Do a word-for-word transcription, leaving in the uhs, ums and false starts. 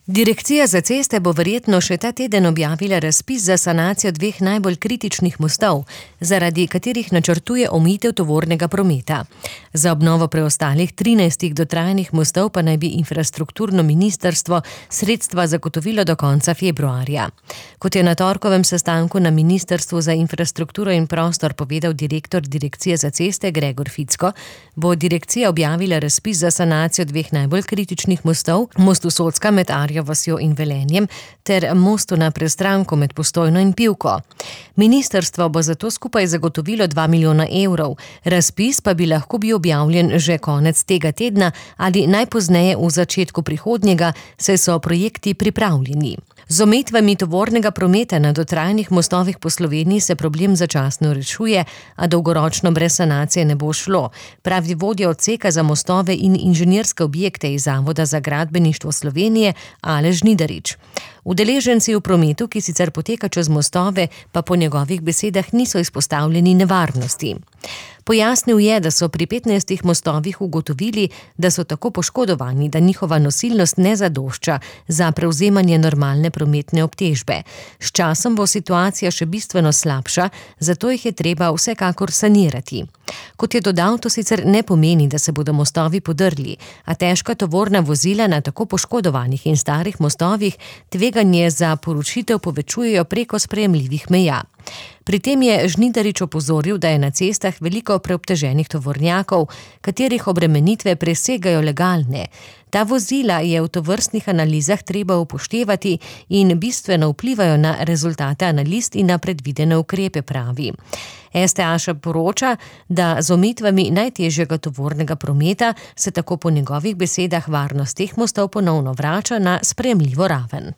Direkcija za ceste bo verjetno še ta teden objavila razpis za sanacijo dveh najbolj kritičnih mostov, zaradi katerih načrtuje omejitev tovornega prometa. Za obnovo preostalih trinajstih dotrajanih mostov pa naj bi infrastrukturno ministrstvo sredstva zagotovilo do konca februarja. Kot je na torkovem sestanku na Ministrstvu za infrastrukturo in prostor povedal direktor Direkcije za ceste Gregor Ficko, bo direkcija objavila razpis za sanacijo dveh najbolj kritičnih mostov, mostu Socka med Arjo vasjo in Velenjem ter mostu na Prestranku med Postojno in Pivko. Ministrstvo bo zato skupaj zagotovilo dva milijona evrov, razpis pa bi lahko bil objavljen že konec tega tedna ali najpozneje v začetku prihodnjega, saj so projekti pripravljeni. Z omejitvami tovornega prometa na dotrajanih mostovih po Sloveniji se problem začasno rešuje, a dolgoročno brez sanacije ne bo šlo, pravi vodja odseka za mostove in inženirske objekte iz Zavoda za gradbeništvo Slovenije Aleš Žnidarič. Udeleženci v prometu, ki sicer poteka čez mostove, pa po njegovih besedah niso izpostavljeni nevarnosti. Pojasnil je, da so pri petnajstih mostovih ugotovili, da so tako poškodovani, da njihova nosilnost ne zadošča za prevzemanje normalne prometne obtežbe. S časom bo situacija še bistveno slabša, zato jih je treba vsekakor sanirati. Kot je dodal, to sicer ne pomeni, da se bodo mostovi podrli, a težka tovorna vozila na tako poškodovanih in starih mostovih tveganje za porušitev povečujejo preko sprejemljivih meja. Pri tem je Žnidarič opozoril, da je na cestah veliko preobteženih tovornjakov, katerih obremenitve presegajo legalne. Ta vozila je v tovrstnih analizah treba upoštevati in bistveno vplivajo na rezultate analiz in na predvidene ukrepe, pravi. es te a še poroča, da z omejitvami najtežjega tovornega prometa se tako po njegovih besedah varnost teh mostov ponovno vrača na sprejemljivo raven.